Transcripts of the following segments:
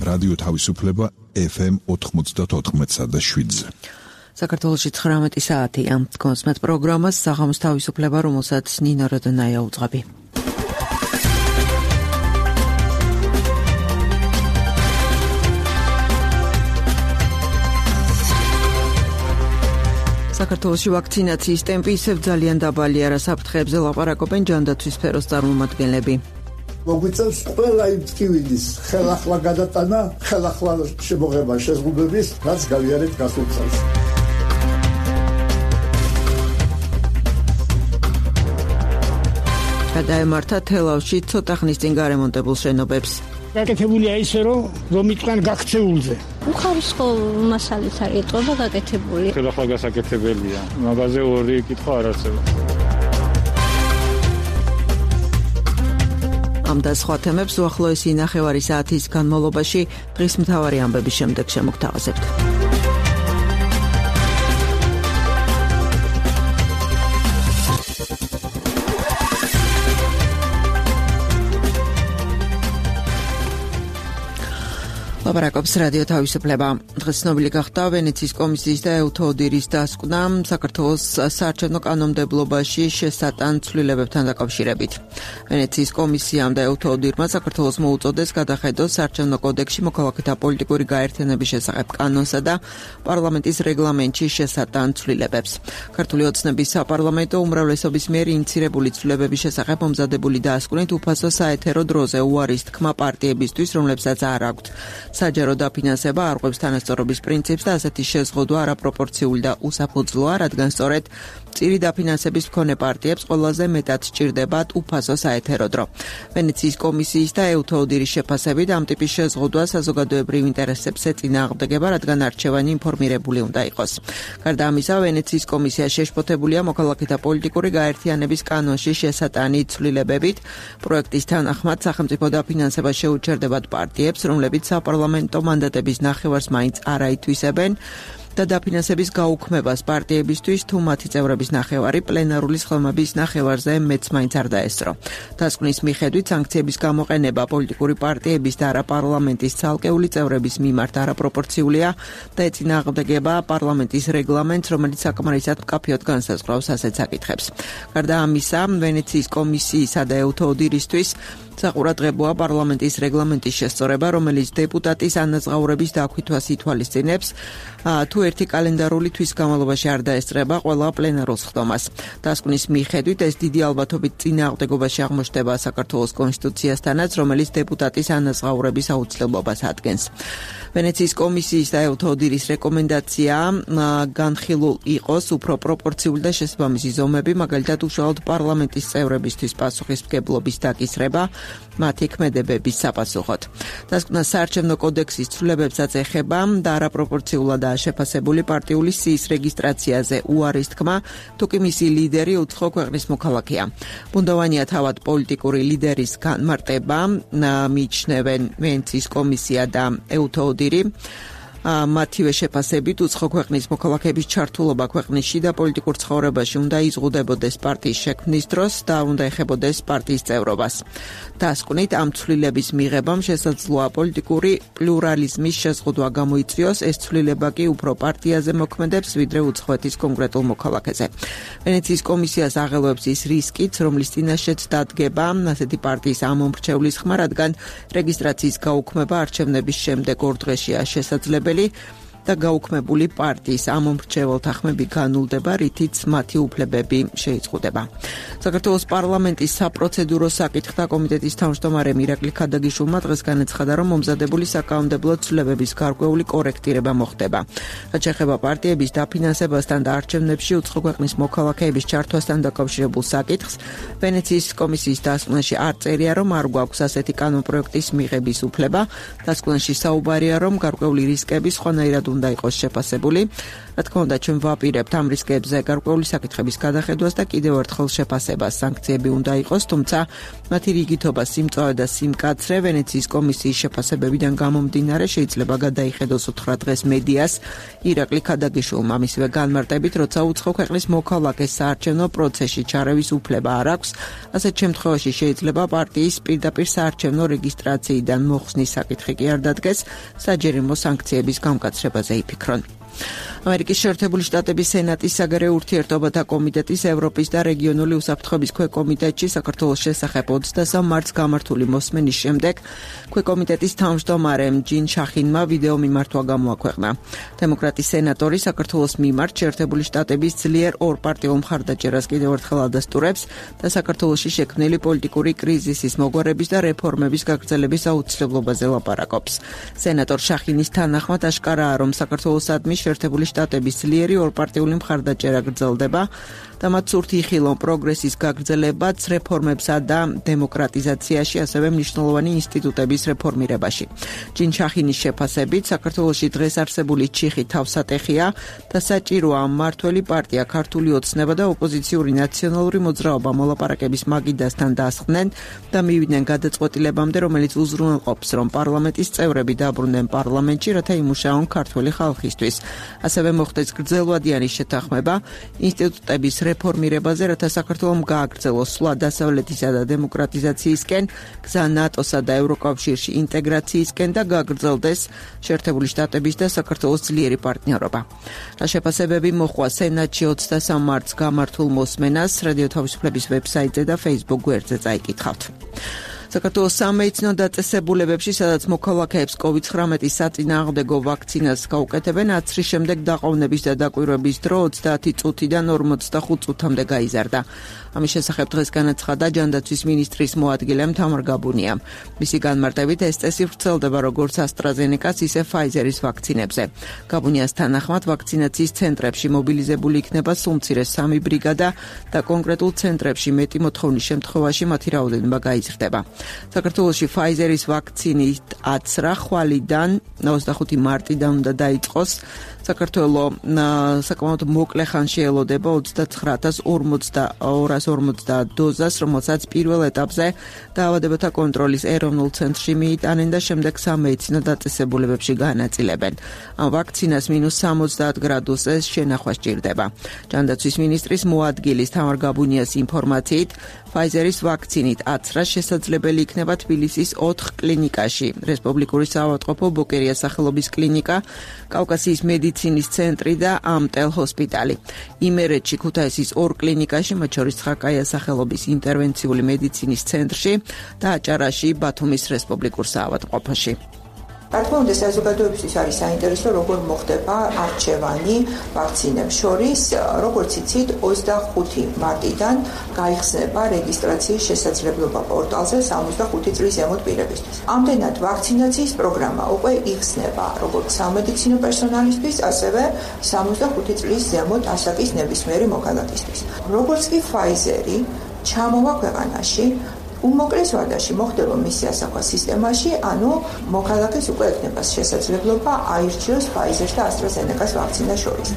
რადიო თავისუფლება FM 94.7-ზე. საქართველოში 19 საათია. კონსმეთ პროგრამას საღამოს თავისუფლება, რომელსაც ნინო როდონაია უძღვები. საქართველოში ვაქცინაციის ტემპი ისევ ძალიან დაბალია, რა საფრთხეებზე ლაპარაკობენ ჯანდაცვის სფეროს წარმომადგენლები. მოგვიწევს ყველა იმ ტკივილის ხელახლა გადატანა, ხელახლა შემოღება შეზღუდვების, რაც გავიარეთ გასულ წელს. გადაემართა თელავში ცოტა ხნის წინ გარემონტებულ შენობებს. გაკეთებულია ისე, რომ იყვნენ გაქცეულზე. უხარისხო მასალით არის ეტყობა გაკეთებული. ხელახლა გასაკეთებელია. მაგაზე ორი კითხვა არ არსებობს. ამ და სხვა თემებს უახლოესი ნახევარი საათის განმავლობაში დღის მთავარი ამბების შემდეგ შემოგთავაზებთ. ლაპარაკობს რადიო თავისუფლება. დღეს ცნობილი გახდა ვენეციის კომისიის და ეუთოდირის დასკვნა საქართველოს საარჩევნო კანონმდებლობაში შესატან ცვლილებებთან დაკავშირებით. ვენეციის კომისიამ და ეუთოდირმა საქართველოს მოუწოდეს გადახედოს საარჩევნო კოდექსში მოქალაქეთა პოლიტიკური გაერთიანების შესახებ კანონსა და პარლამენტის რეგლამენტში შესატან ცვლილებებს. ქართული ოცნების საპარლამენტო უმრავლესობის მიერ ინიცირებული ცვლილებების შესახებ მომზადებული დასკვნით უფასო საეთერო დროზე უარის თქმა პარტიებისთვის, რომლებსაც არ აქვთ საჯარო დაფინანსება, არღვევს თანასწორობის პრინციპს და ასეთი შეზღუდვა არაპროპორციული და უსაფუძვლოა, რადგან სწორედ წირი დაფინანსების მქონე პარტიებს ყველაზე მეტად სჭირდებათ უფასო საეთერო დრო. ვენეციის კომისიის და ეუთოდირის შეფასებით ამ ტიპის შეზღუდვა საზოგადოებრივ ინტერესებს ეწინააღმდეგება, რადგან არჩევანი ინფორმირებული უნდა იყოს. გარდა ამისა, ვენეციის კომისია შეშფოთებულია მოქალაქეთა პოლიტიკური გაერთიანების კანონში შესატანი ცვლილებებით. პროექტის თანახმად სახელმწიფო დაფინანსება შეუჩერდებათ პარტიებს, რომლებიც საპარლამენტო მანდატების ნახევარს მაინც არ აითვისებენ და დაფინანსების გაუქმებას პარტიებისთვის თუ მათი წევრების ნახევარი პლენარული სხდომების ნახევარზე მეც მაინც არ დაესწრო. დასკვნის მიხედვით სანქციების გამოყენება პოლიტიკური პარტიების და არაპარლამენტის ცალკეული წევრების მიმართ არაპროპორციულია და ეწინააღმდეგება პარლამენტის რეგლამენტს, რომელიც საკმარისად მკაფიოდ განსაზღვრავს ასეთ საკითხებს. გარდა ამისა, ვენეციის კომისიისა და ეუთოდირისთვის საყურადღებოა პარლამენტის რეგლამენტის შესწორება, რომელიც დეპუტატის ანაზღაურების დაკვითვას ითვალისწინებს, თუ ერთი კალენდარული თვის განმავლობაში არ დაესწრება ყველა პლენარულ სხდომას. დასკვნის მიხედვით ეს დიდი ალბათობით წინააღმდეგობაში აღმოჩნდება საქართველოს კონსტიტუციასთანაც, რომელიც დეპუტატის ანაზღაურების აუცილებლობას ადგენს. ვენეციის კომისიის და ეუთოდირის რეკომენდაცია განხილულ იყოს უფრო პროპორციული და შესაბამისი ზომები, მაგალითად უშუალოდ პარლამენტის წევრებისთვის პასუხისმგებლობის დაკისრება მათი ქმედებების საპასუხოდ. დასკვნა საარჩევნო კოდექსის ცვლილებებსაც ეხება და არაპროპორციულადაა შეფასებული პარტიული სიის რეგისტრაციაზე უარის თქმა, თუ კი მისი ლიდერი უცხო ქვეყნის მოქალაქეა. ბუნდოვანია თავად პოლიტიკური ლიდერის განმარტება, მიიჩნევენ ვენეციის კომისია და ეუთოდირი. მათივე შეფასებით უცხო ქვეყნის მოქალაქეების ჩართულობა ქვეყნის შიდა პოლიტიკურ ცხოვრებაში უნდა იზღუდებოდეს პარტიის შექმნის დროს და უნდა ეხებოდეს პარტიის წევრობას. დასკვნით ამ ცვლილების მიღებამ შესაძლოა პოლიტიკური პლურალიზმის შეზღუდვა გამოიწვიოს, ეს ცვლილება კი უფრო პარტიაზე მოქმედებს, ვიდრე უცხოეთის კონკრეტულ მოქალაქეზე. ვენეციის კომისიას აღელვებს ის რისკიც, რომლის წინაშეც დადგება ასეთი პარტიის ამომრჩევლის ხმა, რადგან რეგისტრაციის გაუქმება არჩევნების შემდეგ 2 დღეშია შესაძლებელი და გაუქმებული პარტიის ამომრჩეველთა ხმები განულდება, რითიც მათი უფლებები შეიზღუდება. საქართველოს პარლამენტის საპროცედურო საკითხთა კომიტეტის თავმჯდომარე ირაკლი ქადაგიშვილმა დღეს განაცხადა, რომ მომზადებული საკანონმდებლო ცვლილებების გარკვეული კორექტირება მოხდება. რაც შეეხება პარტიების დაფინანსებასთან და არჩევნებში უცხო ქვეყნის მოქალაქეების ჩართვასთან დაკავშირებულ საკითხს, ვენეციის კომისიის დასკვნაში არ წერია, რომ არ გვაქვს ასეთი კანონპროექტის მიღების უფლება. დასკვნაში საუბარია, რომ გარკვეული რისკები სხვანაირად უნდა იყოს შეფასებული. Რა თქმა უნდა, ჩვენ ვაპირებთ ამ რისკებზე გარკვეული საკითხების გადახედვას და კიდევ ერთხელ შეფასებას. სანქციები უნდა იყოს, თუმცა მათი რიგითობა, სიმწვავე და სიმკაცრე ვენეციის კომისიის შეფასებებიდან გამომდინარე შეიძლება გადაიხედოს 9 დღეს მედიას. ირაკლი ქადაგიშვილმა მისივე განმარტებით, როცა უცხო ქვეყნის მოქალაქეს საარჩევნო პროცესში ჩარევის უფლება არ აქვს, ასეთ შემთხვევაში შეიძლება პარტიის პირდაპირ საარჩევნო რეგისტრაციიდან მოხსნის საკითხი კი არ დადგეს, საჯერიმო სანქციების გამკაცრებაზე იფიქრონ. ამერიკის შეერთებული შტატების სენატის საგარეო ურთიერთობათა კომიტეტის ევროპის და რეგიონული უსაფრთხოების ქვეკომიტეტში საქართველოს შესახებ 23 მარტს გამართული მოსმენის შემდეგ ქვეკომიტეტის თავმჯდომარემ ჯინ შახინმა ვიდეო მიმართვა გამოაქვეყნა. დემოკრატის სენატორი საქართველოს მიმართ შეერთებული შტატების ძლიერ ორპარტიულ მხარდაჭერას კიდევ ერთხელ ადასტურებს და საქართველოში შექმნილი პოლიტიკური კრიზისის მოგვარების და რეფორმების გაგრძელების აუცილებლობაზე ლაპარაკობს. სენატორ შახინის თანახმად აშკარაა, რომ საქართველოსადმი შეერთებული შტატების ძლიერი ორპარტიული მხარდაჭერა გრძელდება და მათ სურთ იხილონ პროგრესის გაგრძელებაც რეფორმებსა და დემოკრატიზაციაში, ასევე მნიშვნელოვანი ინსტიტუტების რეფორმირებაში. ჯინ შახინის შეფასებით, საქართველოში დღეს არსებული ჩიხი თავსატეხია და საჭიროა მმართველი პარტია, ქართული ოცნება და ოპოზიციური ნაციონალური მოძრაობა მოლაპარაკების მაგიდასთან დასხდნენ და მივიდნენ გადაწყვეტილებამდე, რომელიც უზრუნველყოფს, რომ პარლამენტის წევრები დაბრუნდნენ პარლამენტში, რათა იმუშაონ ქართველი ხალხისთვის. ასევე მოხდეს გრძელვადიანი შეთანხმება ინსტიტუტების რეფორმირებაზე, რათა საქართველოს გააგრძელოს სვლა დასავლეთისა და დემოკრატიზაციისკენ, გზა ნატოსა და ევროკავშირში ინტეგრაციისკენ და გაგრძელდეს შეერთებული შტატების და საქართველოს ძლიერი პარტნიორობა. რა შეფასებები მოჰყვა სენატში 23 მარტს გამართულ მოსმენას, რადიო თავისუფლების ვებსაიტზე და Facebook გვერდზე წაიკითხავთ. საქართველოს სამედიცინო დაწესებულებებში, სადაც მოქალაქეებს COVID-19 საწინააღმდეგო ვაქცინას გაუკეთებენ, 10 წლის შემდეგ დაყოვნების და დაკვირვების დრო 30 წუთიდან 45 წუთამდე გაიზარდა. ამის შესახებ დღეს განაცხადა ჯანდაცვის მინისტრის მოადგილემ თამარ გაბუნიამ. მისი განმარტებით, ეს წესი ვრცელდება როგორც AstraZeneca-ს, ისე Pfizer-ის ვაქცინებზე. გაბუნიას თანახმად, ვაქცინაციის ცენტრებში მობილიზებული იქნება სულ მცირე 3 ბრიგადა და კონკრეტულ ცენტრებში მეტი მოთხოვნის შემთხვევაში მათი რაოდენობა გაიზრდება. საქართველოში Pfizer-ის ვაქცინით აცრა ხვალიდან 25 მარტიდან უნდა დაიწყოს. საქართველოს საკმაოდ მოკლე ხანში ელოდება 29250 დოზას, რომელსაც პირველ ეტაპზე დაავადებათა კონტროლის ეროვნულ ცენტრში მიიტანენ და შემდეგ სამედიცინო დაწესებულებებში განაწილებენ. ამ ვაქცინას -70 გრადუსზე შენახვა სჭირდება. ჯანდაცვის მინისტრის მოადგილის თამარ გაბუნიას ინფორმაციით, Pfizer-ის ვაქცინით აცრა შესაძლებელი იქნება თბილისის 4 კლინიკაში: რესპუბლიკური საავადმყოფო ბოკერიას სახელობის კლინიკა, კავკასიის მედიცინის ცენტრი და ამტელ ჰოსპიტალი. იმერეთში, ქუთაისის 2 კლინიკაში, მათ შორის ცხაკაიას სახელობის ინტერვენციული მედიცინის ცენტრში და აჭარაში, ბათუმის რესპუბლიკურ საავადმყოფოში. რა თქმა უნდა, საზოგადოებისთვის არის საინტერესო, როგორ მოხდება არჩევანი ვაქცინებს შორის. როგორც იცით, 25 მარტიდან გაიხსნება რეგისტრაციის შესაძლებლობა პორტალზე 65 წლის ზემოთ პირებისთვის. ამდენად ვაქცინაციის პროგრამა უკვე იხსნება როგორც სამედიცინო პერსონალისთვის, ასევე 65 წლის ზემოთ ასაკის ნებისმიერი მოქალაქისთვის. როგორც კი Pfizer-ი ჩამოვა ქვეყანაში, უმოკლეს ვადაში მოხდება მისი ასახვა სისტემაში, ანუ მოქალაქეს უკვე ექნება შესაძლებლობა აირჩიოს Pfizer და AstraZeneca-ს ვაქცინას შორის.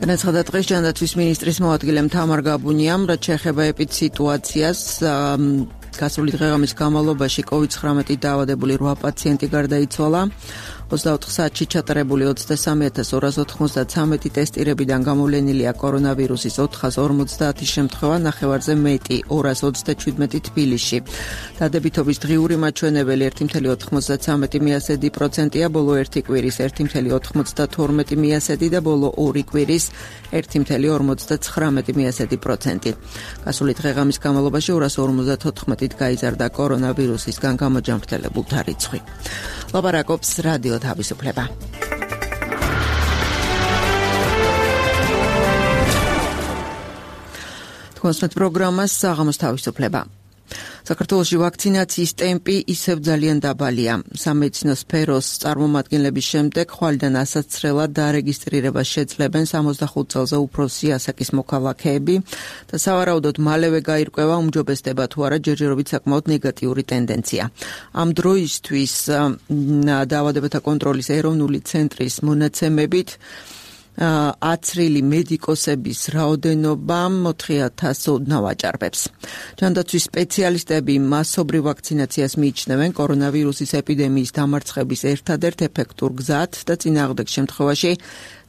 განაცხადა დღეს ჯანდაცვის მინისტრის მოადგილემ თამარ გაბუნიამ, რაც შეეხება ეპიდსიტუაციას. გასული დღეღამის განმავლობაში COVID-19 დაავადებული 8 პაციენტი გარდაიცვალა. 24 საათში ჩატარებული 23293 ტესტირებიდან გამოვლენილია კორონავირუსის 450 შემთხვევა, ნახევარზე მეტი 227 თბილისში. დადებითობის დღიური მაჩვენებელი 1,93%-ია, ბოლო 1 კვირის 1,92% და ბოლო 2 კვირის 1,59%. გასული დღეღამის განმავლობაში 254-ით გაიზარდა კორონავირუსისგან გამოჯანმრთელებულთა რიცხვი. ლაპარაკობს რადიო თავისუფლება. თქვენს პროგრამას საღამოს თავისუფლება. საქართველოში ვაქცინაციის ტემპი ისევ ძალიან დაბალია. სამედიცინო სფეროს წარმომადგენლების შემდეგ ხვალიდან ასაცრელად დარეგისტრირებას შეძლებენ 65 წელზე უფროსი ასაკის მოქალაქეები და სავარაუდოდ მალევე გაირკვევა უმჯობესდება თუ არა ჯერჯერობით საკმაოდ ნეგატიური ტენდენცია. ამ დროისთვის დაავადებათა კონტროლის ეროვნული ცენტრის მონაცემებით აცრილი მედიკოსების რაოდენობა 4,000 ოდნავ აჭარბებს. ჯანდაცვის სპეციალისტები მასობრივ ვაქცინაციას მიიჩნევენ კორონავირუსის ეპიდემიის დამარცხების ერთადერთ ეფექტურ გზად და წინააღმდეგ შემთხვევაში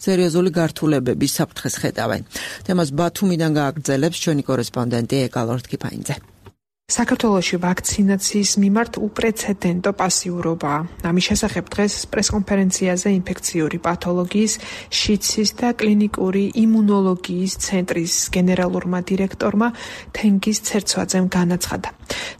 სერიოზული გართულებების საფრთხეს ხედავენ. თემას ბათუმიდან გააგრძელებს ჩვენი კორესპონდენტი ეკალორთ კიფაინძე. საქართველოში ვაქცინაციის მიმართ უპრეცედენტო პასიურობაა. ამის შესახებ დღეს პრესკონფერენციაზე ინფექციური პათოლოგიის, შიცის და კლინიკური იმუნოლოგიის ცენტრის გენერალურმა დირექტორმა თენგიზ ცერცვაძემ განაცხადა.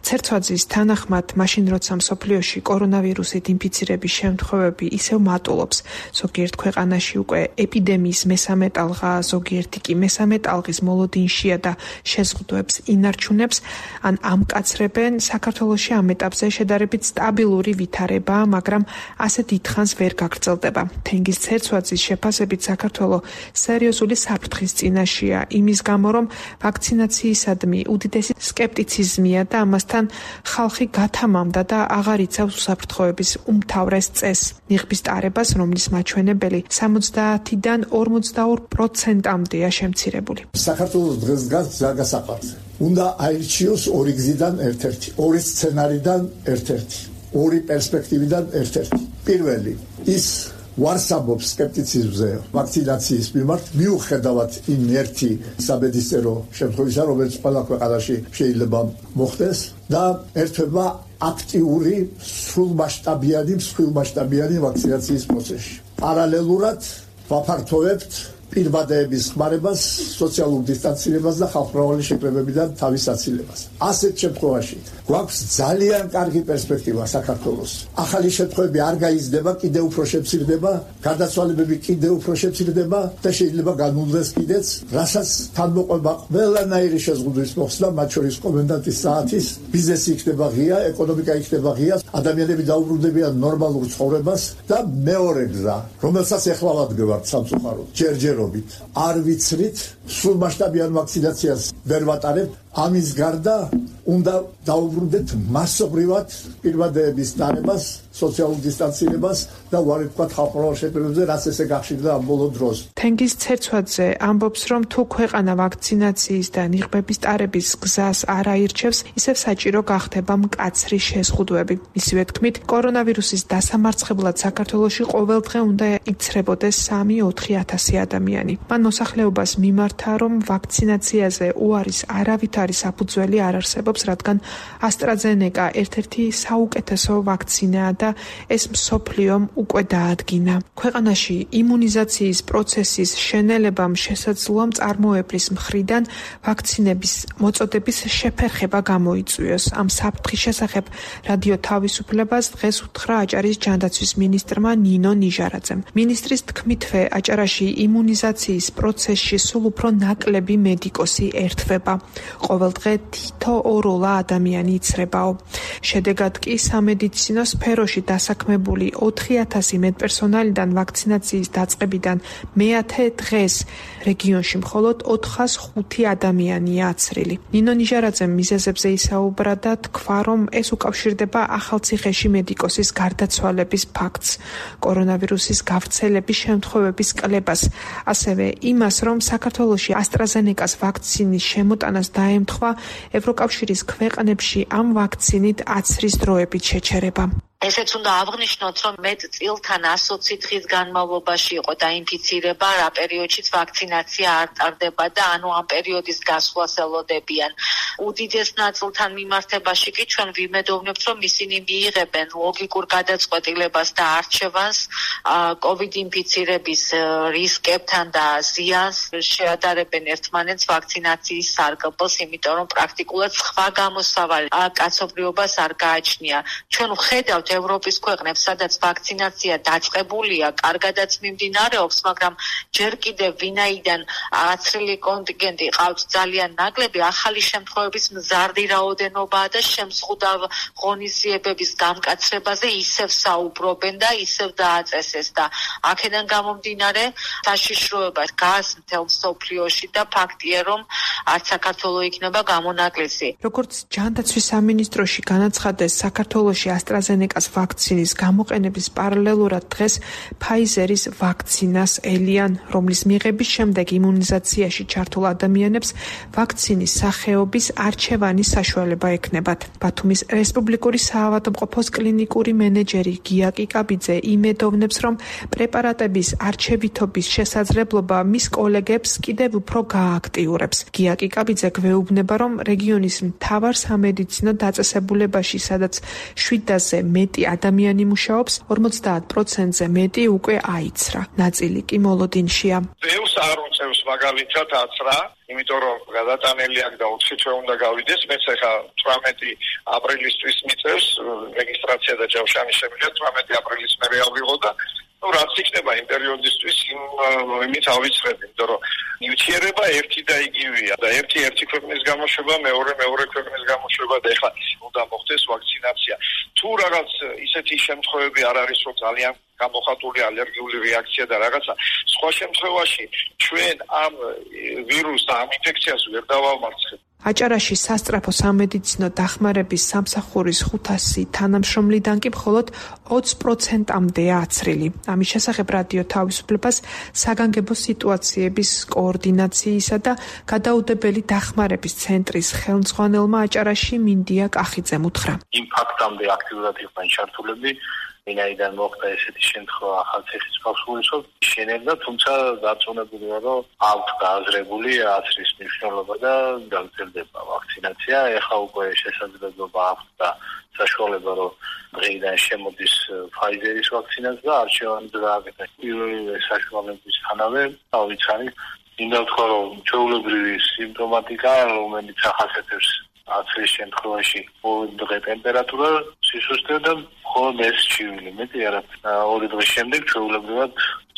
ცერცვაძის თანახმად, მაშინ როცა მსოფლიოში კორონავირუსით ინფიცირების შემთხვევები ისევ მატულობს, ზოგიერთ ქვეყანაში უკვე ეპიდემიის მესამე ტალღა, ზოგიერთი კი მესამე ტალღის მოლოდინშია და შეზღუდვებს ინარჩუნებს, ან ამკაცრებენ, საქართველოში ამ ეტაპზე შედარებით სტაბილური ვითარებაა, მაგრამ ასე დიდხანს ვერ გაგრძელდება. თენგიზ ცერცვაძის შეფასებით საქართველო სერიოზული საფრთხის წინაშეა, იმის გამო, რომ ვაქცინაციისადმი უდიდესი სკეპტიციზმია და ამასთან ხალხი გათამამდა და აღარ იცავს უსაფრთხოების უმთავრეს წესს, ნიღბის ტარებას, რომლის მაჩვენებელი 70-დან 42%-მდეა შემცირებული. საქართველოს დღეს დგას ზაგასაყარზე. უნდა აირჩიოს ორი გზიდან ერთ-ერთი, ორი სცენარიდან ერთ-ერთი, ორი პერსპექტივიდან ერთ-ერთი. პირველი, ის ვარსაბობს სკეპტიციზმზე ვაქცინაციის მიმართ, მიუხედავად იმ ერთი სამედიცინო შემთხვევისა, რომელიც ყველა ქვეყანაში შეიძლება მოხდეს და ერთვება აქტიური სრულმასშტაბიანი ვაქცინაციის პროცესში. პარალელურად ვაფართოვებთ პირბადეების ხმარებას, სოციალურ დისტანცირებას და ხალხმრავალი შეკრებებიდან თავის აცილებას. ასეთ შემთხვევაში გვაქვს ძალიან კარგი პერსპექტივა საქართველოს. ახალი შემთხვევები არ გაიზრდება, კიდევ უფრო შემცირდება, გარდაცვალებები კიდევ უფრო შემცირდება და შეიძლება განულდეს კიდეც, რასაც თანმოყვება ყველანაირი შეზღუდვის მოხსნა, მათ შორის კომენდანტის საათის, ბიზნესი იქნება ღია, ეკონომიკა იქნება ღია, ადამიანები დაუბრუნდებიან ნორმალურ ცხოვრებას და მეორე გზა, რომელსაც ეხლა ვადგევართ სამწუხაროდ, ჯერჯერობით არ ვიცრით, სრულმასშტაბიან ვაქცინაციას ვერ ვატარებთ, ამის გარდა უნდა დაუბრუნდეთ მასობრივად პირბადეების დარებას, სოციალურ დისტანცირებას და უარი ვთქვათ ხალხმრავალ შეკრებებზე, რაც ესე გახშირდა ამ ბოლო დროს. თენგიზ ცერცვაძე ამბობს, რომ თუ ქვეყანა ვაქცინაციის და ნიღბების ტარების გზას არ აირჩევს, ისევ საჭირო გახდება მკაცრი შეზღუდვები. მისივე თქმით, კორონავირუსის დასამარცხებლად საქართველოში ყოველდღე უნდა იცრებოდეს 3-4 ადამიანი. მან მოსახლეობას მიმართა, რომ ვაქცინაციაზე უარის არავითარი საფუძველი არ არსებობს, რადგან AstraZeneca ერთ-ერთი საუკეთესო ვაქცინაა და ეს მსოფლიომ უკვე დაადგინა. ქვეყანაში იმუნიზაციის პროცესის შენელებამ შესაძლოა მწარმოებლის მხრიდან ვაქცინების მოწოდების შეფერხება გამოიწვიოს. ამ საფრთხის შესახებ რადიო თავისუფლებას დღეს უთხრა აჭარის ჯანდაცვის მინისტრმა ნინო ნიჟარაძემ. მინისტრის თქმითვე, აჭარაში იმუნიზაციის პროცესში სულ უფრო ნაკლები მედიკოსი ერთვება. ყოველდღე თითო ოროლა ადამიანი იცრებაო. შედეგად კი სამედიცინო სფეროში დასაქმებული 4,000 მედპერსონალიდან ვაქცინაციის დაწყებიდან მეათე დღეს რეგიონში მხოლოდ 405 ადამიანია აცრილი. ნინო ნიჟარაძემ მიზეზებზე ისაუბრა და თქვა, რომ ეს უკავშირდება ახალციხეში მედიკოსის გარდაცვალების ფაქტს, კორონავირუსის გავრცელების შემთხვევების კლებას, ასევე იმას, რომ საქართველოში AstraZeneca-ს ვაქცინის შემოტანას დაემთხვა ევროკავშირის ქვეყნებში ამ ვაქცინით აცრის დროებით შეჩერება. ესეც უნდა აღვნიშნოთ, რომ მეტ წილთან 120 დღის განმავლობაში იყო დაინფიცირება, რა პერიოდშიც ვაქცინაცია არ ტარდება და ანუ ამ პერიოდის გასვლას ელოდებიან. უდიდეს ნაწილთან მიმართებაში კი ჩვენ ვიმედოვნებთ, რომ ისინი მიიღებენ ლოგიკურ გადაწყვეტილებას და არჩევანს COVID ინფიცირების რისკებთან და ზიანს, შეადარებენ ერთმანეთს ვაქცინაციის სარგებლს, იმიტომ რომ პრაქტიკულად სხვა გამოსავალი კაცობრიობას არ გააჩნია. ჩვენ ვხედავთ ევროპის ქვეყნებს, სადაც ვაქცინაცია დაწყებულია, კარგადაც მიმდინარეობს, მაგრამ ჯერ კიდევ ვინაიდან აცრილი კონტინგენტი ყავთ ძალიან ნაკლები, ახალი შემთხვევების მზარდი რაოდენობაა და შემზღუდავ ღონისძიებების გამკაცრებაზე ისევ საუბრობენ და ისევ დააწესეს და აქედან გამომდინარე საშიშროება გას მთელ მსოფლიოში და ფაქტია რომ არც საქართველოს იქნება გამონაკლისი. როგორც ჯანდაცვის სამინისტროში განაცხადეს, საქართველოში AstraZeneca-ს ვაქცინის გამოყენების პარალელურად დღეს Pfizer-ის ვაქცინას ელიან, რომლის მიღების შემდეგ იმუნიზაციაში ჩართულ ადამიანებს ვაქცინის სახეობის არჩევანის საშუალება ექნებათ. ბათუმის რესპუბლიკური საავადმყოფოს კლინიკური მენეჯერი გია კიკაბიძე იმედოვნებს, რომ პრეპარატების არჩევითობის შესაძლებლობა მის კოლეგებს კიდევ უფრო გააქტიურებს. გია კიკაბიძე გვეუბნება, რომ რეგიონის მთავარ სამედიცინო დაწესებულებაში, სადაც 700-ზე მეტი ადამიანი მუშაობს, 50%-ზე მეტი უკვე აიცრა. ნაწილი კი მოლოდინშია. ბევრს არ უწევს მაგალითად აცრა, იმიტომ რომ გადატანელი აქ და 20 თვე უნდა გავიდეს, მეც ახლა 18 აპრილისთვის მიწევს რეგისტრაცია და ჯავშანი შემიძლია 18 აპრილის მერე ავიღო და რაც იქნება იმ პერიოდისთვის იმით ავიცრები, იმიტომ რომ ნივთიერება ერთი და იგივეა და ერთი ქვეყნის გამოშვება, მეორე ქვეყნის გამოშვება და ეხლა უნდა მოხდეს ვაქცინაცია. თუ რაღაც ისეთი შემთხვევები არ არის, რომ ძალიან გამოხატული ალერგიული რეაქცია და რაღაცა, სხვა შემთხვევაში ჩვენ ამ ვირუსს და ამ ინფექციას ვერ დავამარცხებთ. აჭარაში სასწრაფო სამედიცინო დახმარების სამსახურის 500 თანამშრომლიდან კი მხოლოდ 20%-მდეა აცრილი. ამის შესახებ რადიო თავისუფლებას საგანგებო სიტუაციების კოორდინაციისა და გადაუდებელი დახმარების ცენტრის ხელმძღვანელმა აჭარაში მინდია კახიძემ უთხრა. იმ ფაქტამდე აქტიურად იყვნენ ჩართულები, ვინაიდან მოხდა ესეთი შემთხვევა ახალციხის კავშირისով შენებდა, თუმცა დარწმუნებულია, რომ აქვთ გააზრებული აცრის მნიშვნელობა და გაგრძელდება ვაქცინაცია. ეხლა უკვე შესაძლებლობა აქვთ და საშუალება, რომ დღეიდან შემოდის Pfizer-ის ვაქცინაც და არჩევანი დააკეთეს. პირველივე საშუალებისთანავე ავიცანი, მინდა ვთქვა, რომ ჩვეულებრივი სიმპტომატიკა, რომელიც ახასიათებს აცრის შემთხვევაში დღე ტემპერატურა, სისუსტე და მხოლოდ ეს ჩივილი, მეტი არა. 2 დღის შემდეგ ჩვეულებრივად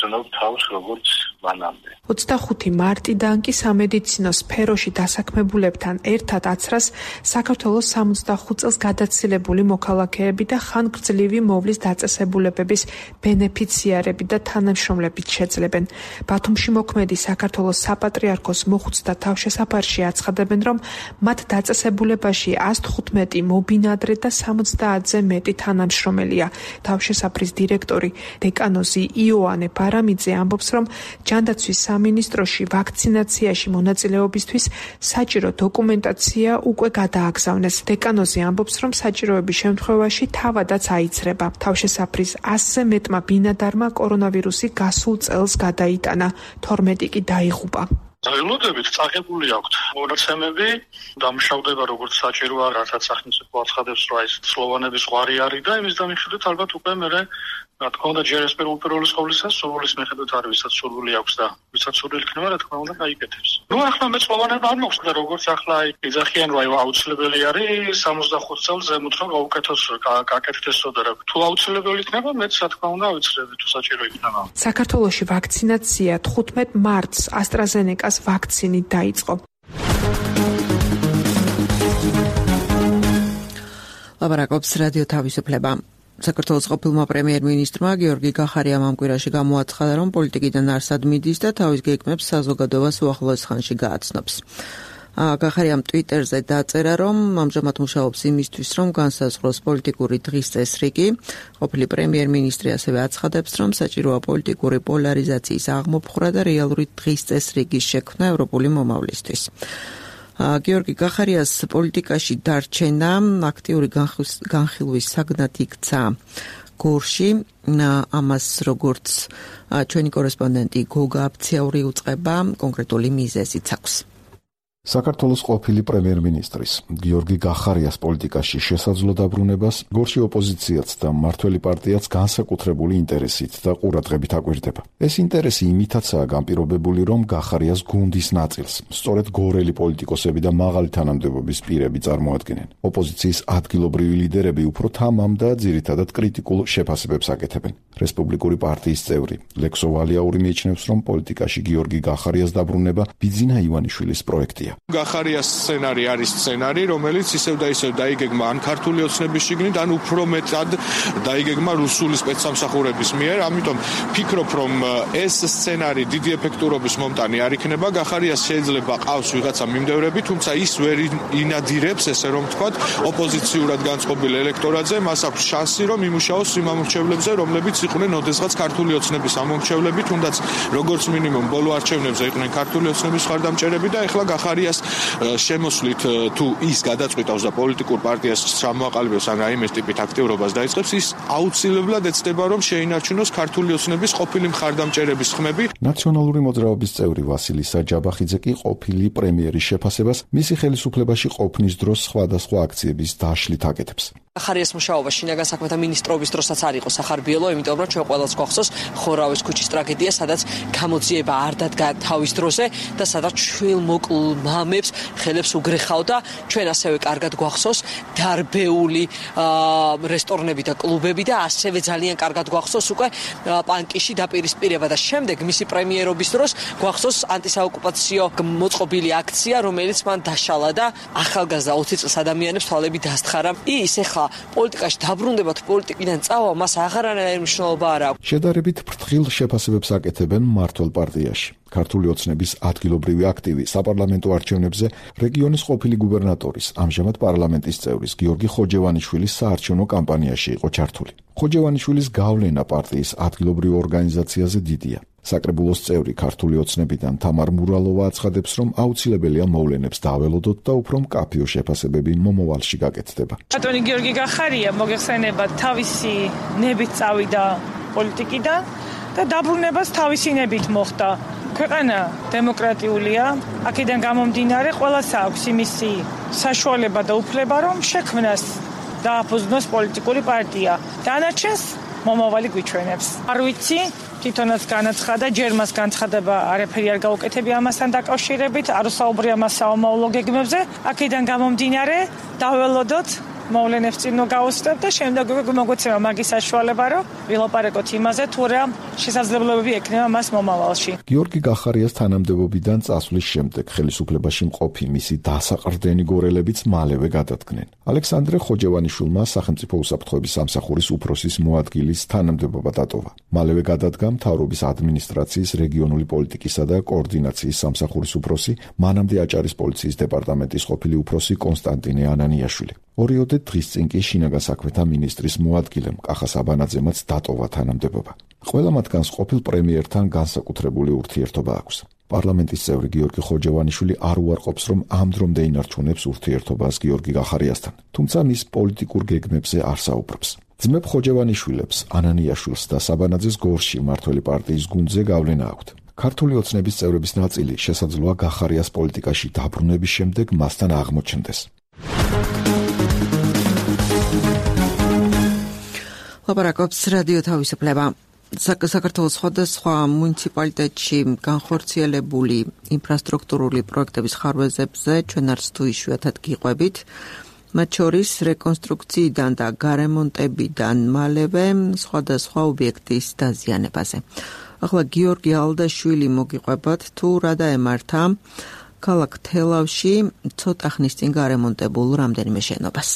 ვძნობ თავს როგორც მანამდე. 25 მარტიდან კი სამედიცინო სფეროში დასაქმებულებთან ერთად აცრას საქართველოს 65 წელს გადაცილებული მოქალაქეები და ხანგრძლივი მოვლის დაწესებულებების ბენეფიციარები და თანამშრომლებით შეძლებენ. ბათუმში მოქმედი საქართველოს საპატრიარქოს მოხუცთა თავშესაფარში აცხადებენ, რომ მათ დაწესებულებაში 115 მობინადრე და 70-ზე მეტი თანამშრომელია. თავშესაფრის დირექტორი დეკანოზი იოანე ბარამიძე ამბობს, რომ ჯანდაცვის სამინისტროში ვაქცინაციაში მონაწილეობისთვის საჭირო დოკუმენტაცია უკვე გადააგზავნეს. დეკანოზი ამბობს, რომ საჭიროების შემთხვევაში თავადაც აიცრება. თავშესაფრის 100-ზე მეტმა ბინადარმა კორონავირუსი გასულ წელს გადაიტანა, 12 კი დაიღუპა. ელოდებით წაღებული აქვთ მონაცემები, დამშავდება როგორც საჭიროა, რასაც სახელმწიფო აცხადებს, რომ ეს სლოვანების ზღვარი არის და იმის დამიხილებით ალბათ უკვე მერე რა თქმა უნდა ჯერ ეს პირველი სკოლისა სურვილის მიხედვით არის, ვისაც სურვილი აქვს და ვისაც სურვილი იქნება, რა თქმა უნდა გაიკეთებს. ნუ ახლა მე სლოვანებმა არ მოხდა, როგორც ახლა იძახიან, რომ აუცილებელი არის 65 წელს ზემოთ რომ გაუკეთოს, გაკეთდეს და თუ აუცილებელი იქნება, მეც რა თქმა უნდა ავიცრები თუ საჭირო იქნება. საქართველოში ვაქცინაცია 15 მარტს AstraZeneca-ს ვაქცინით დაიწყო. ლაბარაკობს რადიო თავისუფლება. საქართველოს ყოფილმა პრემიერ-მინისტრმა გიორგი გახარიამ ამ კვირაში გამოაცხადა, რომ პოლიტიკიდან არსად მიდის და თავის გეგმებს საზოგადოებას უახლოეს ხანში გააცნობს. გახარიამ ტვიტერზე დაწერა, რომ ამჟამად მუშაობს იმისთვის, რომ განსაზღვროს პოლიტიკური დღის წესრიგი. ყოფილი პრემიერ-მინისტრი ასევე აცხადებს, რომ საჭიროა პოლიტიკური პოლარიზაციის აღმოფხვრა და რეალური დღის წესრიგის შექმნა ევროპული მომავლისთვის. გიორგი გახარიას პოლიტიკაში დარჩენა აქტიური განხილვის საგნად იქცა გორში. ამას როგორც ჩვენი კორესპონდენტი გოგა აფციაური უწყება, კონკრეტული მიზეზიც აქვს. საქართველოს ყოფილი პრემიერ-მინისტრის გიორგი გახარიას პოლიტიკაში შესაძლო დაბრუნებას გორში ოპოზიციაც და მმართველი პარტიაც განსაკუთრებული ინტერესით და ყურადღებით აკვირდება. ეს ინტერესი იმითაცაა განპირობებული, რომ გახარიას გუნდის ნაწილს სწორედ გორელი პოლიტიკოსები და მაღალი თანამდებობის პირები წარმოადგენენ. ოპოზიციის ადგილობრივი ლიდერები უფრო თამამ და ძირითადად კრიტიკულ შეფასებებს აკეთებენ. რესპუბლიკური პარტიის წევრი ლექსო ვალიაური მიიჩნევს, რომ პოლიტიკაში გიორგი გახარიას დაბრუნება ბიძინა ივანიშვილის პროექტია. გახარიას სცენარი არის სცენარი, რომელიც ისევ და ისევ დაიგეგმა ან ქართული ოცნების შიგნით, ან უფრო მეტად დაიგეგმა რუსული სპეცსამსახურების მიერ. ამიტომ ფიქრობ, რომ ეს სცენარი დიდი ეფექტურობის მომტანი არ იქნება. გახარიას შეიძლება ყავს ვიღაცა მიმდევრები, თუმცა ის ვერ ინადირებს, ესე რომ ვთქვათ, ოპოზიციურად განწყობილ ელექტორატზე. მას აქვს შანსი, რომ იმუშაოს იმ ამორჩევლებზე, რომლებიც იყვნენ ოდესღაც ქართული ოცნების ამორჩევლები, თუნდაც როგორც მინიმუმ ბოლო არჩევნებზე იყვნენ ქართული ოცნების მხარდამჭერები და ეხლა გახარიას შემოსვლით თუ ის გადაწყვიტავს და პოლიტიკურ პარტიას ჩამოაყალიბებს ან რაიმე ტიპით აქტიურობას დაიწყებს, ის აუცილებლად ეცდება, რომ შეინარჩუნოს ქართული ოცნების ყოფილი მხარდამჭერების ხმები. ნაციონალური მოძრაობის წევრი ვასილი საჯაბახიძე კი ყოფილი პრემიერის შეფასებას მისი ხელისუფლებაში ყოფნის დროს სხვადასხვა აქციების დაშლით აკეთებს. გახარიას მუშაობა შინაგან საქმეთა მინისტრობის დროსაც არ იყო სახარბიელო, იმიტომ რომ ჩვენ ყველას გვახსოვს ხორავის ქუჩის ტრაგედია, სადაც გამოძიება არ დადგა თავის დროზე და სადაც შვილმოკლ მამებს ხელებს უგრეხავდა. ჩვენ ასევე კარგად გვახსოვს დარბეული რესტორნები და კლუბები და ასევე ძალიან კარგად გვახსოვს უკვე პანკიში დაპირისპირება და შემდეგ მისი პრემიერობის დროს გვახსოვს ანტისაოკუპაციო მოწყობილი აქცია, რომელიც მან დაშალა და ახალგაზრდა 20 წლის ადამიანებს თვალები დასთხარა. ის ეხლა პოლიტიკაში დაბრუნდება თუ პოლიტიკიდან წავა, მას აღარანაირი მნიშვნელობა არ აქვს. შედარებით ფრთხილ შეფასებებს აკეთებენ მმართველ პარტიაში. ქართული ოცნების ადგილობრივი აქტივი საპარლამენტო არჩევნებზე რეგიონის ყოფილი გუბერნატორის, ამჟამად პარლამენტის წევრის გიორგი ხოჯევანიშვილის საარჩევნო კამპანიაში იყო ჩართული. ხოჯევანიშვილის გავლენა პარტიის ადგილობრივ ორგანიზაციაზე დიდია. საკრებულოს წევრი ქართული ოცნებიდან თამარ მურალოვა აცხადებს, რომ აუცილებელია მოვლენებს დაველოდოთ და უფრო მკაფიო შეფასებები მომავალში გაკეთდება. ბატონი გიორგი გახარია მოგეხსენება თავისი ნებით წავიდა პოლიტიკიდან და დაბრუნებას თავისი ნებით მოხდა. ქვეყანა დემოკრატიულია, აქედან გამომდინარე ყველას აქვს იმისი საშუალება და უფლება, რომ შექმნას დააფუძნოს პოლიტიკური პარტია. დანარჩენს მომავალი გვიჩვენებს. არ ვიცი, თვითონაც განაცხადა, ჯერ მას განცხადება არაფერი არ გაუკეთებია ამასთან დაკავშირებით, არ ვსაუბრე ამას საომავლო გეგმებზე. აქედან გამომდინარე, დაველოდოთ მოვლენებს წინ გავუსწრებ და შემდეგ მოგვეცემა მაგის საშუალება, რომ ვილაპარაკოთ იმაზე, თუ რა შესაძლებლობები ექნება მას მომავალში. გიორგი გახარიას თანამდებობიდან წასვლის შემდეგ ხელისუფლებაში მყოფი მისი დასაყრდენი გორელებიც მალევე გადადგნენ. ალექსანდრე ხოჯევანიშვილმა სახელმწიფო უსაფრთხოების სამსახურის უფროსის მოადგილის თანამდებობა დატოვა. მალევე გადადგა მთავრობის ადმინისტრაციის რეგიონული პოლიტიკისა და კოორდინაციის სამსახურის უფროსი, მანამდე აჭარის პოლიციის დეპარტამენტის ყოფილი უფროსი კონსტანტინე ანანიაშვილი. ორიოდე დღის წინ კი შინაგან საქმეთა მინისტრის მოადგილემ კახა საბანაძემაც დატოვა თანამდებობა. ყველა მათგანს ყოფილ პრემიერთან განსაკუთრებული ურთიერთობა აქვს. პარლამენტის წევრი გიორგი ხოჯევანიშვილი არ უარყოფს, რომ ამ დრომდე ინარჩუნებს ურთიერთობას გიორგი გახარიასთან, თუმცა მის პოლიტიკურ გეგმებზე არ საუბრობს. ძმებ ხოჯევანიშვილებს, ანანიაშვილს და საბანაძეს გორში მმართველი პარტიის გუნდზე გავლენა აქვთ. ქართული ოცნების წევრების ნაწილი შესაძლოა გახარიას პოლიტიკაში დაბრუნების შემდეგ მასთან აღმოჩნდეს. ლაპარაკობს რადიო თავისუფლება. საქართველოს სხვადასხვა მუნიციპალიტეტში განხორციელებული ინფრასტრუქტურული პროექტების ხარვეზებზე ჩვენ არც თუ იშვიათად გიყვებით. მათ შორის რეკონსტრუქციიდან და გარემონტებიდან მალევე სხვადასხვა ობიექტის დაზიანებაზე. ახლა გიორგი ალდაშვილი მოგიყვებათ თუ რა დაემართა ქალაქ თელავში ცოტა ხნის წინ გარემონტებულ რამდენიმე შენობას.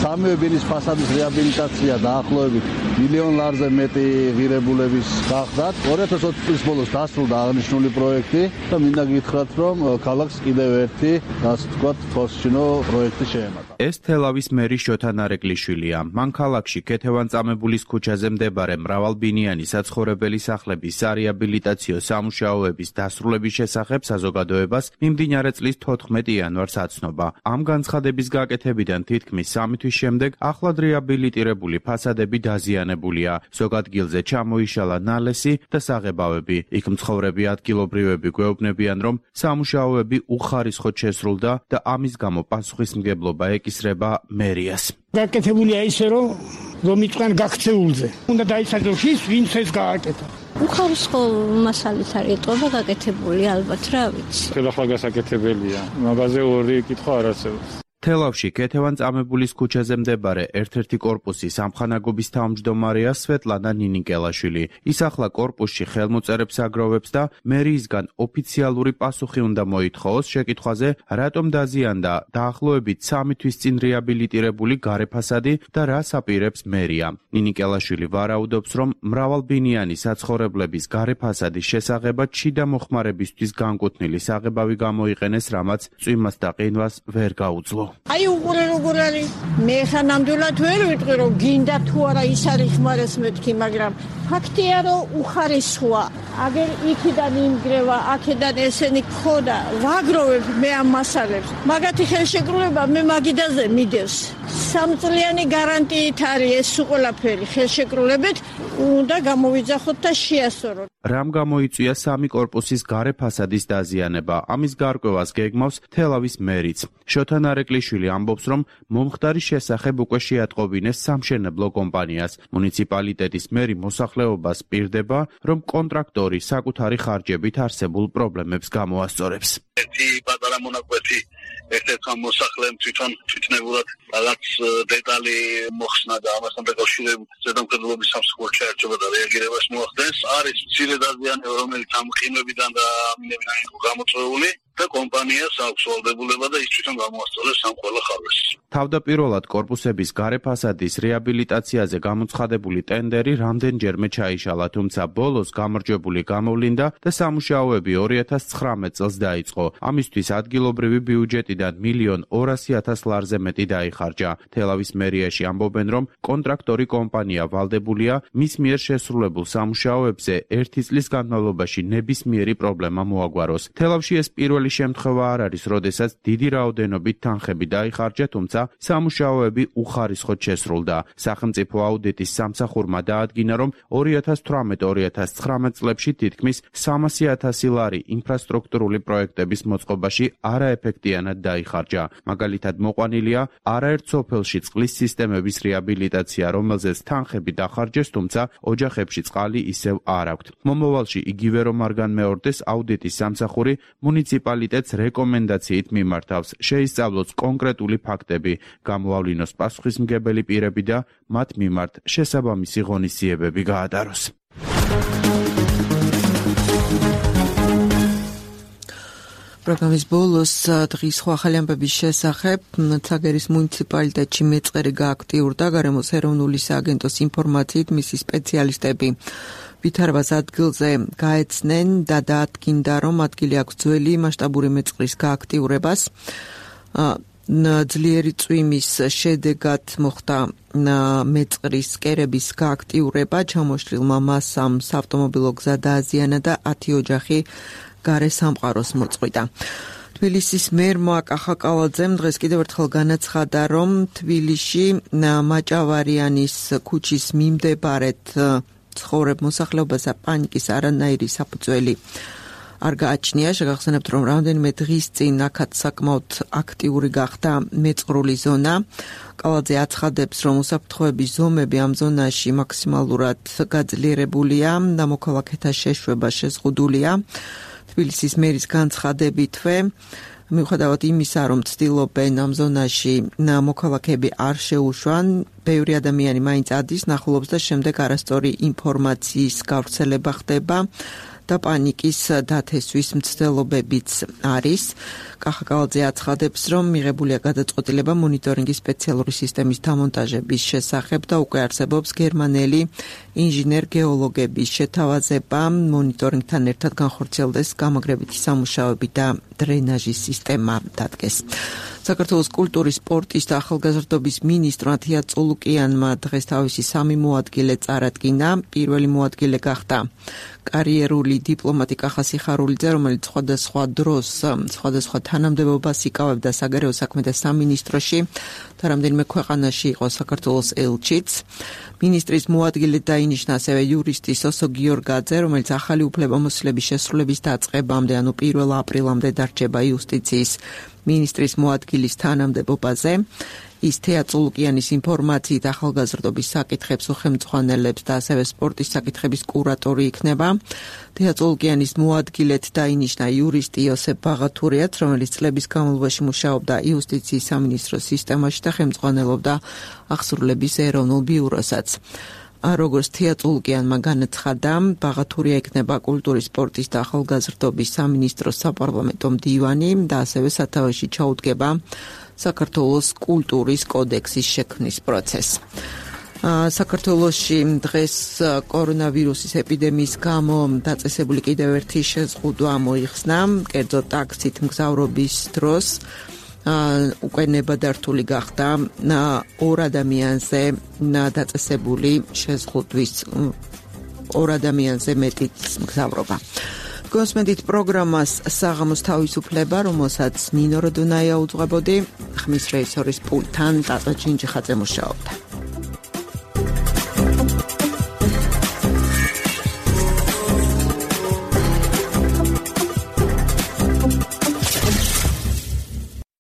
სამივე ბინის ფასადის რეაბილიტაცია დაახლოებით მილიონ ლარზე მეტი ღირებულების გახდათ. 2020 წლის ბოლოს დასრულდა აღნიშნული პროექტი და მინდა გითხრათ, რომ ქალაქს კიდევ ერთი, ასე ვთქვათ, თვალსაჩინო პროექტი შეემატა. ეს თელავის მერი შოთა ნარეკლიშვილია. მან ქალაქში ქეთევან-წამებულის ქუჩაზე მდებარე მრავალბინიანი საცხოვრებელი სახლების სარეაბილიტაციო სამუშაოების დასრულების შესახებ საზოგადოებას მიმდინარე წლის 14 იანვარს აცნობა. ამ განცხადების გაკეთებიდან თითქმის 3 თვის შემდეგ ახლად რეაბილიტირებული ფასადები დაზიანებულია. ზოგ ადგილზე ჩამოიშალა ნალესი და საღებავები. იქ მცხოვრები ადგილობრივები გვეუბნებიან, რომ სამუშაოები უხარისხოდ შესრულდა და ამის გამო პასუხისმგებლობა ეკისრება მერიას. გაკეთებულია ისე, რომ იყვნენ გაქცეულზე. უნდა დაიცადოს ის, ვინც ეს გააკეთა. უხარისხო მასალით არის ეტყობა გაკეთებული, ალბათ, რა ვიცი. ხელახლა გასაკეთებელია. მაგაზე ორი კითხვა არ არსებობს. თელავში ქეთევან-წამებულის ქუჩაზე მდებარე ერთ-ერთი კორპუსის სამხანაგობის თავმჯდომარეა სვეტლანა ნინიკელაშვილი. ის ახლა კორპუსში ხელმოწერებს აგროვებს და მერიისგან ოფიციალური პასუხი უნდა მოითხოვოს შეკითხვაზე, რატომ დაზიანდა დაახლოებით 3 თვის წინ რეაბილიტირებული გარე ფასადი და რას აპირებს მერია. ნინიკელაშვილი ვარაუდობს, რომ მრავალბინიანი საცხოვრებლების გარე ფასადის შესაღებად შიდა მოხმარებისთვის განკუთვნილი საღებავი გამოიყენეს, რამაც წვიმას და ყინვას ვერ გაუძლო. აი უყურე როგორ არის მე ხანამდვილად ვერ ვიტყვი რომ გინდა თუ არა ის არის ხმარეს მეთქი მაგრამ ფაქტია რომ უხარისხოა აგერ იქიდან იმგრევა აქედან ესენი ხოდა ვაგროვებ მე ამ მასალებს მაგათი ხელშეკრულება მე მაგიდაზე მიდევს 3 წლიანი გარანტიით არის ეს ყველაფერი ხელშეკრულებით უნდა გამოვიძახოთ და შეასწოროთ. რამ გამოიწვია 3 კორპუსის გარე ფასადის დაზიანება? ამის გარკვევას გეგმავს თელავის მერიც. შოთა ნარეკლიშვილი ამბობს, რომ მომხდარის შესახებ უკვე შეატყობინეს სამშენებლო კომპანიას. მუნიციპალიტეტის მერი მოსახლეობას პირდება, რომ კონტრაქტორი საკუთარი ხარჯებით არსებულ პრობლემებს გამოასწორებს. ერთი პატარა მონაკვეთი ერთ-ერთმა მოსახლემ თვითნებურად რაღაც დეტალი მოხსნა და ამასთან დაკავშირებით ზედამხედველობის სამსახურის ჩაერჩება და რეაგირებას მოახდენს. არის მცირე დაზიანება, რომელიც ამ ყინვებიდან და ამინებიდან იყო გამოწვეული და კომპანიას აქვს ვალდებულება და ის თვითონ გამოასწორებს ამ ყველა ხარვეს. თავდაპირველად კორპუსების გარე ფასადის რეაბილიტაციაზე გამოცხადებული ტენდერი რამდენჯერმე ჩაიშალა, თუმცა ბოლოს გამარჯვებული გამოვლინდა და სამუშაოები 2019 წელს დაიწყო. ამისთვის ადგილობრივი ბიუჯეტიდან 1.200.000 ლარზე მეტი დაიხარჯა. თელავის მერიაში ამბობენ, რომ კონტრაქტორი კომპანია ვალდებულია მის მიერ შესრულებულ სამუშაოებზე 1 წლის განმავლობაში ნებისმიერი პრობლემა მოაგვაროს. თელავში ეს პირველი შემთხვევა არ არის, როდესაც დიდი რაოდენობით თანხები დაიხარჯა, თუმცა სამუშაოები უხარისხოდ შესრულდა. სახელმწიფო აუდიტის სამსახურმა დაადგინა, რომ 2018-2019 წლებში თითქმის 300.000 ლარი ინფრასტრუქტურული პროექტების მოწყობაში არაეფექტიანად დაიხარჯა. მაგალითად მოყვანილია არაერთ სოფელში წყლის სისტემების რეაბილიტაცია, რომელზეც თანხები დახარჯეს, თუმცა ოჯახებში წყალი ისევ არ აქვთ. მომავალში იგივე რომ არ განმეორდეს, აუდიტის სამსახური მუნიციპალიტეტს რეკომენდაციით მიმართავს, შეისწავლოს კონკრეტული ფაქტები, გამოავლინოს პასუხისმგებელი პირები და მათ მიმართ შესაბამისი ღონისძიებები გაატაროს. პროგრამის ბოლოს დღის სხვა ახალი ამბების შესახებ ცაგერის მუნიციპალიტეტში მეწყერი გააქტიურდა გარემოს ეროვნული სააგენტოს ინფორმაციით მისი სპეციალისტები ვითარებას ადგილზე გაეცნენ და დაადგინდა, რომ ადგილი აქვს ძველი მასშტაბური მეწყრის გააქტიურებას. ძლიერი წვიმის შედეგად მოხდა მეწყრის კერების გააქტიურება, ჩამოშლილმა მასამ საავტომობილო გზა დააზიანა და 10 ოჯახი გარე სამყაროს მოწყვიტა. თბილისის მერმა კახაკალაძემ დღეს კიდევ ერთხელ განაცხადა, რომ თბილისში მაჭავარიანის ქუჩის მიმდებარედ ცხოვრებ მოსახლეობასა პანიკის არანაირი საფუძველი არ გააჩნია. შეგახსენებთ, რომ რამდენიმე დღის წინ აქაც საკმაოდ აქტიური გახდა მეწყრული ზონა. კალაძე აცხადებს, რომ უსაფრთხოების ზომები ამ ზონაში მაქსიმალურად გაძლიერებულია და მოქალაქეთა შეშვება შეზღუდულია. თბილისის მერის განცხადებითვე, მიუხედავად იმისა, რომ ცდილობენ ამ ზონაში მოქალაქეები არ შეუშვან, ბევრი ადამიანი მაინც ადის, ნახულობს და შემდეგ არასწორი ინფორმაციის გავრცელება ხდება და პანიკის დათესვის მცდელობებიც არის. კახა კავალძე აცხადებს, რომ მიღებულია გადაწყვეტილება მონიტორინგის სპეციალური სისტემის დამონტაჟების შესახებ და უკვე არსებობს გერმანელი ინჟინერ-გეოლოგების შეთავაზება მონიტორინგთან ერთად განხორციელდეს გამაგრებითი სამუშაოები და დრენაჟის სისტემა დადგეს. საქართველოს კულტურის, სპორტის და ახალგაზრდობის მინისტრმა თია წულუკიანმა დღეს თავისი 3 მოადგილე წარადგინა. პირველი მოადგილე გახდა კარიერული დიპლომატი კახა სიხარულიძე, რომელიც სხვადასხვა დროს სხვადასხვა თანამდებობას იკავებდა საგარეო საქმეთა სამინისტროში და რამდენიმე ქვეყანაში იყო საქართველოს ელჩიც. მინისტრის მოადგილედ დაინიშნა ასევე იურისტი სოსო გიორგაძე, რომელიც ახალი უფლებამოსილების შესრულების დაწყებამდე, ანუ 1 აპრილამდე დარჩება იუსტიციის მინისტრის მოადგილის თანამდებობაზე. ის თეა წულუკიანის ინფორმაციით ახალგაზრდობის საკითხებს უხელმძღვანელებს და ასევე სპორტის საკითხების კურატორი იქნება. თეა წულუკიანის მოადგილედ დაინიშნა იურისტი იოსებ ბაღათურიაც, რომელიც წლების განმავლობაში მუშაობდა იუსტიციის სამინისტროს სისტემაში და ხელმძღვანელობდა აღსრულების ეროვნულ ბიუროსაც. როგორც თეა წულუკიანმა განაცხადა, ბაღათურია იქნება კულტურის, სპორტის და ახალგაზრდობის სამინისტროს საპარლამენტო მდივანი და ასევე სათავეში ჩაუდგება საქართველოს კულტურის კოდექსის შექმნის პროცესს. საქართველოში დღეს კორონავირუსის ეპიდემიის გამო დაწესებული კიდევ ერთი შეზღუდვა მოიხსნა, კერძოდ ტაქსით მგზავრობის დროს უკვე ნებადართული გახდა 2 ადამიანზე დაწესებული შეზღუდვის 2 ადამიანზე მეტი მგზავრობა. გოსმედით პროგრამას საღამოს თავისუფლება, რომელსაც ნინო როდონაია უძღვებოდი, ხმის რეჟისორის პულტთან ტატო ჩინჩიხაძე მუშაობდა.